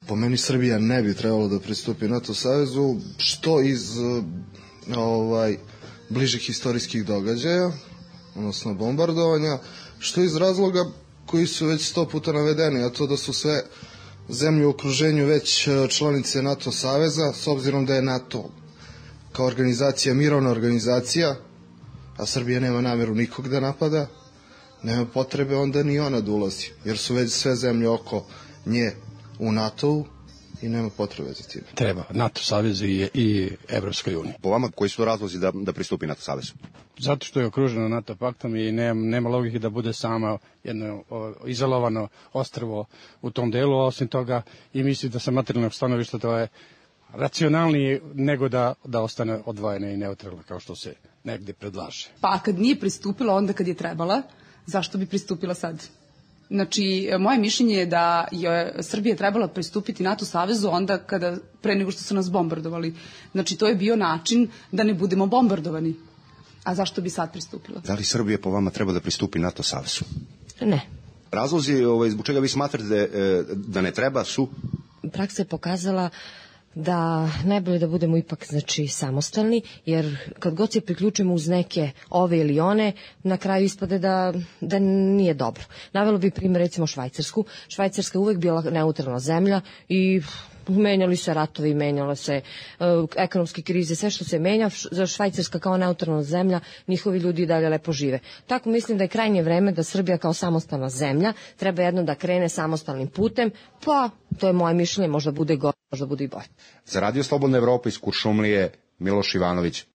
Po meni Srbija ne bi trebalo da pristupi NATO savezu, što iz bližih istorijskih događaja, odnosno bombardovanja, što iz razloga koji su već 100 puta navedeni, a to da su sve zemlje u okruženju već članice NATO saveza, s obzirom da je NATO kao organizacija mirovna organizacija, a Srbija nema nameru nikog da napada, nema potrebe onda ni ona da ulazi, jer su već sve zemlje oko nje u NATO-u i nema potrebe za tim. Treba NATO savezu i Evropskoj uniji. Po vama, koji su razlozi da pristupi NATO savezu? Zato što je okruženo NATO paktom i nema logike da bude sama jedno izolovano ostrvo u tom delu, a osim toga i mislim da sa materijalnog stanovišta to je racionalnije nego da ostane odvojena i neutralna kao što se negde predlaže. Pa kad nije pristupila onda kad je trebala, zašto bi pristupila sad? Znači, moje mišljenje je da je Srbija trebala pristupiti NATO savezu onda pre nego što su nas bombardovali. Znači, to je bio način da ne budemo bombardovani. A zašto bi sad pristupila? Da li Srbija po vama treba da pristupi NATO savezu? Ne. Razlozi zbog čega vi smatrate da ne treba su? Praksa je pokazala da najbolje da budemo ipak samostalni, jer kad god se priključimo uz neke ove ili one, na kraju ispade da nije dobro. Navelo bi primjer recimo Švajcarsku. Švajcarska je uvek bila neutralna zemlja i menjali se ratovi, menjale se ekonomske krize, sve što se menja, za Švajcarska kao neutralna zemlja, njihovi ljudi i dalje lepo žive. Tako mislim da je krajnje vreme da Srbija kao samostalna zemlja treba jedno da krene samostalnim putem, pa to je moje mišljenje, možda bude gore, možda bude i bolje. Za Radio Slobodna Evropa iz Kuršumlije, Miloš Ivanović.